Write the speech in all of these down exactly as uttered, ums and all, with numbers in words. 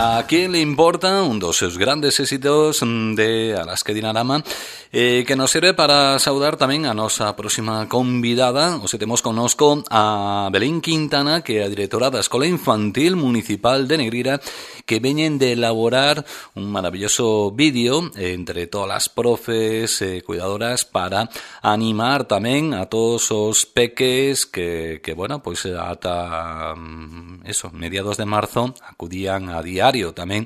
A quen le importa un dos seus grandes éxitos de Alaska Dinarama, eh, que nos sirve para saudar tamén a nosa próxima convidada. Hoxe temos connosco a Belén Quintana, que é a directora da Escola Infantil Municipal de Negreira, que veñen de elaborar un maravilloso vídeo entre todas as profes e eh, cuidadoras para animar tamén a todos os peques que, que bueno, pois ata eso, mediados de marzo acudían a diario tamén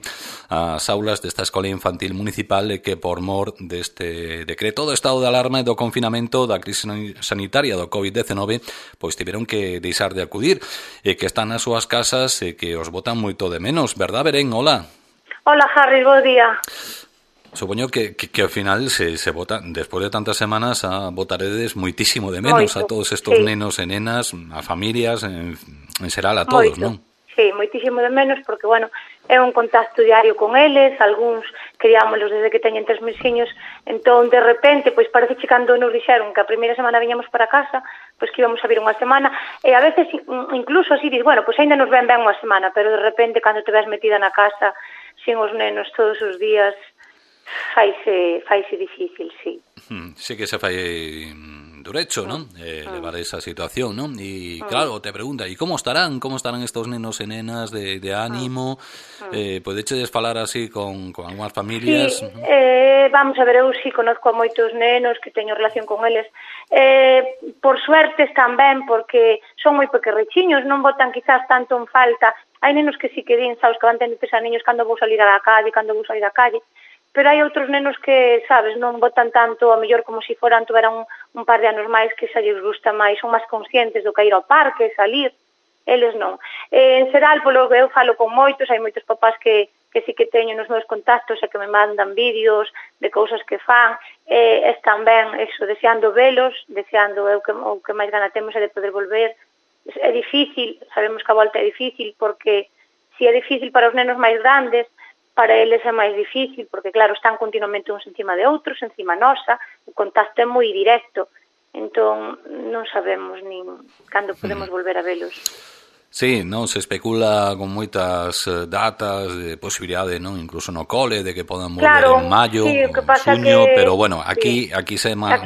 ás aulas desta Escola Infantil Municipal e que por mor deste decreto do estado de alarma e do confinamento da crise sanitaria do covid diecinueve pois tiveron que deixar de acudir e que están nas súas casas e que os botan moito de menos, verdad, Belén? Hola. Hola, Harry, bo día. Supoño que, que, que ao final se, se vota, despois de tantas semanas a votaredes moitísimo de menos Moito, a todos estos sí. nenos e nenas, a familias, en, en xeral a todos, Moito. non? Sí, moitísimo de menos porque, bueno, é un contacto diario con eles, algúns criámoslos desde que teñen tres mesiños, entón, de repente, pois parece que cando nos dixeron que a primeira semana viñamos para casa, pois que íbamos a vir unha semana, e a veces incluso así dices, bueno, pois ainda nos ven ben unha semana, pero de repente, cando te ves metida na casa, sin os nenos todos os días, faise, faise difícil, sí. Sí que se fai durecho, non? Eh, levar esa situación, non? E claro, te pregunta, e como estarán? Como estarán estos nenos e nenas de, de ánimo? Eh, podechedes falar así con, con algunhas familias? Sí, eh, vamos a ver, eu sí conozco a moitos nenos que teño relación con eles. Eh, por suerte están ben, porque son moi pequerrechiños, non botan quizás tanto en falta. Hai nenos que sí que din, sabes, que van tendo que pensar niños cando vou salir a la calle, cando vou salir á calle, pero hai outros nenos que, sabes, non botan tanto, a mellor como se si foran, tuveran un, un par de anos máis que xa lles gusta máis, son máis conscientes do que ir ao parque, salir, eles non. Eh, en xeral, polo que eu falo con moitos, hai moitos papás que, que sí que teño nos meus contactos e que me mandan vídeos de cousas que fan, eh, están ben, eso, deseando velos, deseando eu que, o que máis gana temos é de poder volver. É difícil, sabemos que a volta é difícil, porque si é difícil para os nenos máis grandes, para eles é máis difícil, porque claro, están continuamente uns encima de outros, encima nosa, o contacto é moi directo, entón non sabemos nin cando podemos volver a velos. Sí, non, se especula con moitas datas de posibilidade, non, incluso no cole, de que podan volver claro, en maio, sí, en xuño, que, pero bueno, aquí sí, aquí se má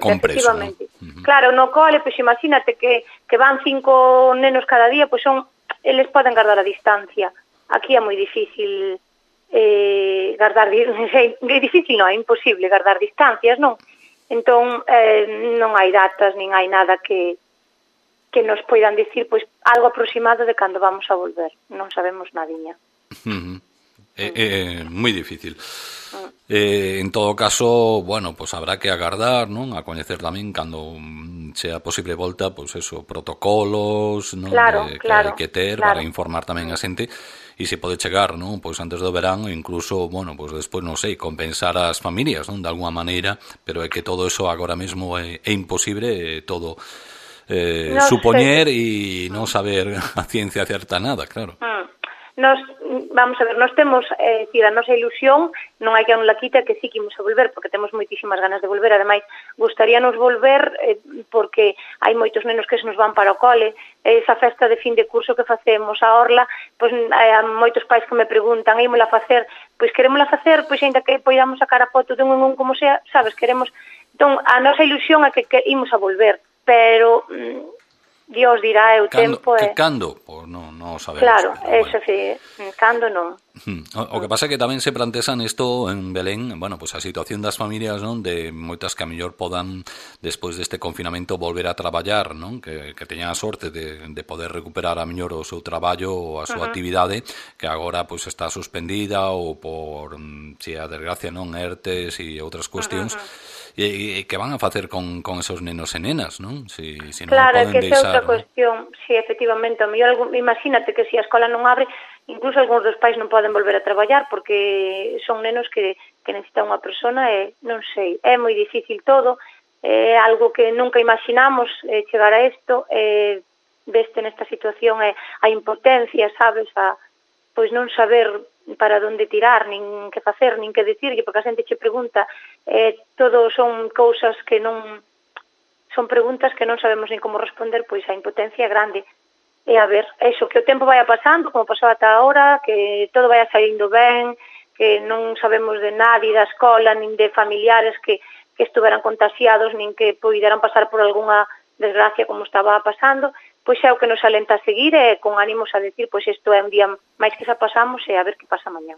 compreso, ¿no? Uh-huh. Claro, no cole, pois imagínate que, que van cinco nenos cada día, pois son, eles poden guardar a distancia. Aquí é moi difícil eh, guardar, é difícil non, é imposible guardar distancias, non? Entón, eh, non hai datas, nin hai nada que que nos poidan dicir, pois, algo aproximado de cando vamos a volver. Non sabemos nadiña. Uh-huh. É, é moi difícil. Uh-huh. Eh, en todo caso, bueno, pois habrá que agardar, non? A coñecer tamén cando sea posible volta, pois eso, protocolos, non? Claro, de, claro, que hai que ter claro. para informar tamén a xente. E se pode chegar, non? Pois antes do verán, ou incluso, bueno, pois despois, non sei, compensar as familias, non? De alguma maneira, pero é que todo eso agora mesmo é, é imposible, é todo eh, no supoñer e non saber a ciencia certa nada, claro. Mm. Nos, vamos a ver, nos temos, eh, decir, a nosa ilusión, non hai que non la quita que sí que imos a volver, porque temos moitísimas ganas de volver, ademais, gustaríanos volver eh, porque hai moitos nenos que se nos van para o cole, esa festa de fin de curso que facemos a Orla, pois hai moitos pais que me preguntan, ímola facer, pois querémola facer, pois ainda que poidamos sacar a foto de un en un como sea, sabes, queremos, entón, a nosa ilusión é que, que imos a volver, pero mm, Dios dirá, é o cando, tempo que é... cando? Pois non, non sabemos. Claro, pero, eso bueno. sí, cando non. O, o que pasa é que tamén se plantean isto en Belén, bueno, pues a situación das familias, non, de moitas que a mellor podan despois deste confinamento volver a traballar, non, que, que teñan a sorte de, de poder recuperar a mellor o seu traballo ou a súa uh-huh. actividade, que agora pois está suspendida ou por, si a desgracia, non, ERTES e outras cuestións. Uh-huh. E, e que van a facer con, con esos nenos e nenas, non? Si, si non claro, poden que esa é outra cuestión, ¿no? Si, efectivamente, a mellor, imagínate que se a escola non abre, incluso algúns dos pais non poden volver a traballar porque son nenos que, que necesitan unha persona e non sei, é moi difícil todo, é algo que nunca imaginamos eh, chegar a isto, eh, veste nesta situación é a impotencia, sabes, a pois non saber para onde tirar, nin que facer, nin que dicirlle, porque a xente che pregunta, eh, todo son cousas que non, son preguntas que non sabemos nin como responder, pois a impotencia é grande. e a ver, eso, que o tempo vaya pasando, como pasou ata agora, que todo vaya saindo ben, que non sabemos de nadie da escola, nin de familiares que, que estuveran contagiados, nin que poideran pasar por algunha desgracia como estaba pasando, pois é o que nos alenta a seguir e con ánimos a decir, pois isto é un día máis que xa pasamos e a ver que pasa mañá.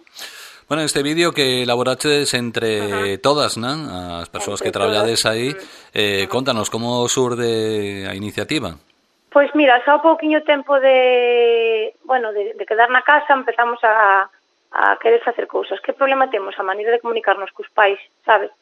Bueno, este vídeo que elaboraches entre uh -huh. todas, non? As persoas entre que traballades aí, eh, uh -huh. Contanos como surde a iniciativa. Pois mira, xa o pouquiño tempo de, bueno, de, de quedar na casa empezamos a, a querer facer cousas. Que problema temos? A maneira de comunicarnos cos pais, sabes?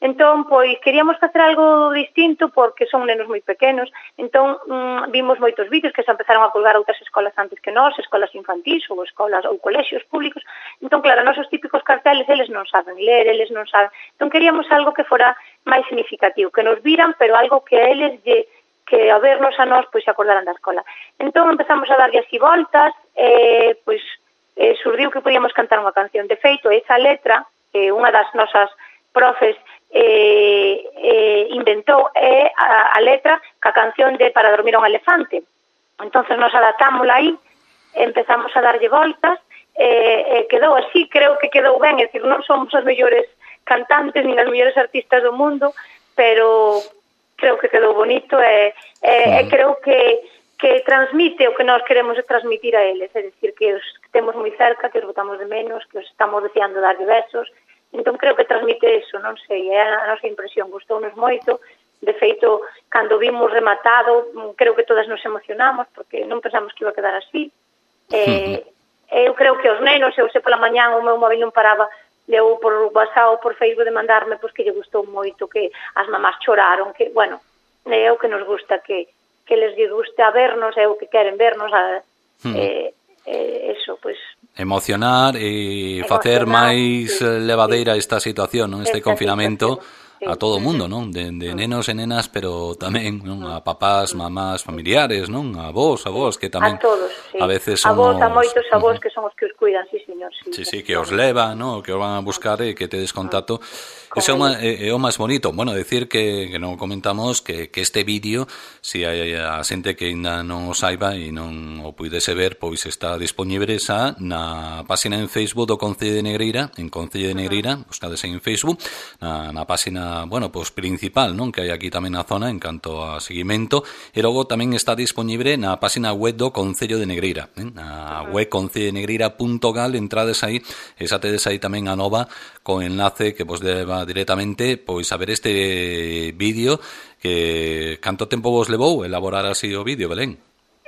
Entón, pois, queríamos facer algo distinto porque son nenos moi pequenos, entón mmm, vimos moitos vídeos que se empezaron a colgar outras escolas antes que nós, escolas infantís ou escolas ou colexios públicos, entón, claro, nosos típicos carteles, eles non saben ler, eles non saben, entón queríamos algo que fora máis significativo, que nos viran, pero algo que a eles lle, que a vernos a nós, pois, se acordaran da escola. Entón, empezamos a darlle así voltas, e, pois, eh, surdiu que podíamos cantar unha canción. De feito, esa letra, eh, unha das nosas profes eh, eh, inventou eh, a, a letra ca canción de Para dormir a un elefante. Entonces nos adaptámosla aí, empezamos a darlle voltas, e eh, eh, quedou así, creo que quedou ben, é dicir, non somos as mellores cantantes nin as mellores artistas do mundo, pero creo que quedou bonito e, e, e creo que, que transmite o que nós queremos transmitir a eles, é dicir, que os temos moi cerca, que os botamos de menos, que os estamos deseando dar besos. Entón, creo que transmite eso, non sei, é a nosa impresión, gustounos moito. De feito, cando vimos rematado, creo que todas nos emocionamos, porque non pensamos que iba a quedar así. Eh, eu creo que os nenos, eu sei pola mañán, o meu móvil non paraba, deu por WhatsApp ou por Facebook de mandarme, pois que lle gustou moito, que as mamás choraron, que, bueno, é o que nos gusta, que, que les lle gusta vernos, é o que queren vernos, a, hmm. eh, eh, eso, pois... Emocionar e facer máis levadeira esta situación, non? Este confinamento a todo o mundo, non? De, de nenos e nenas, pero tamén, non? A papás, mamás, familiares, non? A vos, a vos, que tamén a todos, sí. A veces A somos... vos, a moitos a vos, uh -huh. que son os que os cuidan, sí, señor. Sí, sí, sí, que os levan, non? Que os van a buscar e que tedes contacto. Eso é o máis bonito. Bueno, decir que, que non comentamos que, que este vídeo, se si hai a xente que ainda non o saiba e non o puidese ver, pois está disponible xa na página en Facebook do Concello de Negreira, en Concello de Negreira, buscades en Facebook, na, na página, bueno, pois principal, non? Que hai aquí tamén na zona en canto a seguimento, e logo tamén está disponible na página web do Concello de Negreira, eh? Na web concello de negreira punto gal, entrades aí, e xa tedes aí tamén a nova con enlace que vos leva directamente pois a ver este vídeo. Que canto tempo vos levou elaborar así o vídeo, Belén?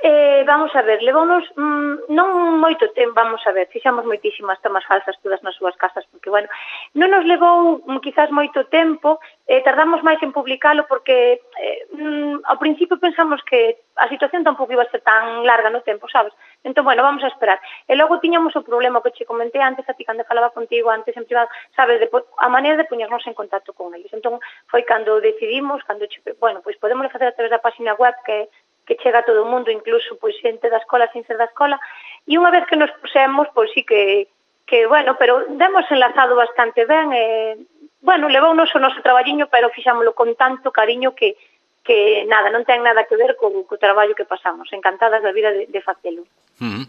Eh, vamos a ver, levounos mmm, non moito tempo, vamos a ver, fixamos moitísimas tomas falsas todas nas súas casas, porque, bueno, non nos levou mm, quizás moito tempo, eh, tardamos máis en publicalo porque eh, mm, ao principio pensamos que a situación tampouco iba a ser tan larga no tempo, sabes? Entón, bueno, vamos a esperar. E logo tiñamos o problema que che comenté antes, a ti cando falaba contigo antes en privado, sabes, de, a maneira de poñernos en contacto con eles. Entón, foi cando decidimos, cando che, bueno, pois podemos facer a través da página web que que chega a todo o mundo, incluso pois xente da escola sin ser da escola, e unha vez que nos pusemos, pois sí que, que bueno, pero demos enlazado bastante ben, e, bueno, levounos o noso traballiño, pero fixámoslo con tanto cariño que, que nada, non ten nada que ver co, co traballo que pasamos, encantadas da vida de, de facelo. Mm.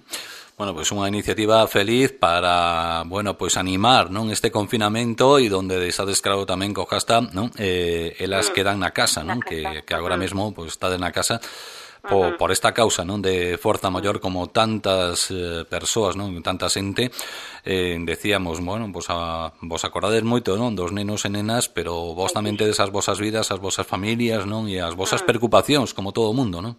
Bueno, pois pues unha iniciativa feliz para, bueno, pois pues animar, non, este confinamento e donde estades claro tamén co hashtag, non, eh, elas mm. quedan na casa, non, na casa. que, que agora mm. mesmo pois pues, estades na casa por, por esta causa, non, de forza maior, como tantas eh, persoas, non, tanta xente, eh, decíamos, bueno, vos, a, vos acordades moito, non, dos nenos e nenas, pero vos tamén tedes as vosas vidas, as vosas familias, non, e as vosas preocupacións, como todo o mundo, non?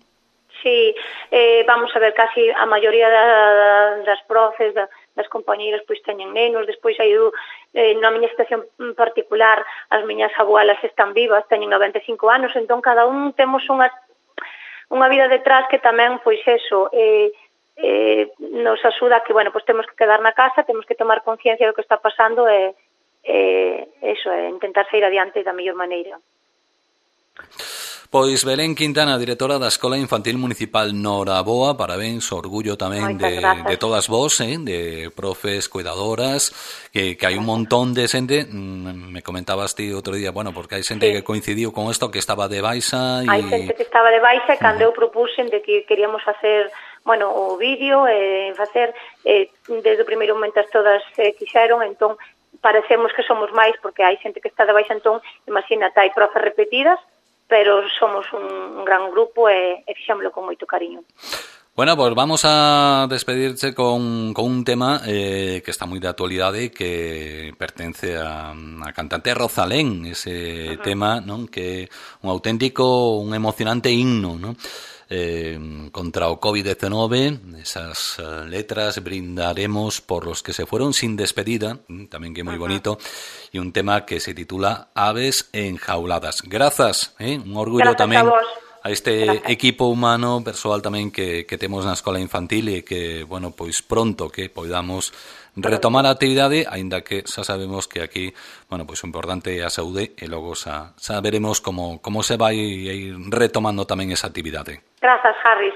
Sí, eh, vamos a ver, casi a maioría da, das profes, da, das compañeiras, pois teñen nenos, despois hai eh, na miña situación particular, as miñas abuelas están vivas, teñen noventa e cinco anos, entón cada un temos unha unha vida detrás que tamén, pois eso, eh, eh, nos axuda que, bueno, pois temos que quedar na casa, temos que tomar conciencia do que está pasando e, eh, eso, é intentar sair adiante da mellor maneira. Pois Belén Quintana, directora da Escola Infantil Municipal Noraboa, parabéns, orgullo tamén de, de todas vos, eh, de profes, cuidadoras, que, que hai un montón de xente, me comentabas ti outro día, bueno, porque hai xente sí. que coincidiu con isto, que estaba de baixa. E... Hai xente que estaba de baixa e cando uh -huh. eu propuxen de que queríamos facer bueno, o vídeo, e facer, eh, desde o primeiro momento as todas eh, quixeron, entón, parecemos que somos máis, porque hai xente que está de baixa, entón, imagínate, hai profes repetidas, pero somos un, un gran grupo e, e fixémoslo con moito cariño. Bueno, pues vamos a despedirse con, con un tema eh, que está moi de actualidade, que pertence a, a cantante Rosalén, ese uh-huh. tema, non, que é un auténtico, un emocionante himno, non? Eh, contra o covid diecinueve, esas uh, letras, brindaremos por los que se fueron sin despedida, tamén que é moi bonito, e un tema que se titula Aves enjauladas. Grazas, eh? Un orgullo Grazas tamén a vos. A este Gracias. Equipo humano persoal tamén que, que temos na escola infantil e que, bueno, pois pronto que podamos retomar a actividade, aínda que xa sabemos que aquí, bueno, pois o importante é a saúde e logo xa, xa veremos como, como se vai ir retomando tamén esa actividade. Grazas, Harris.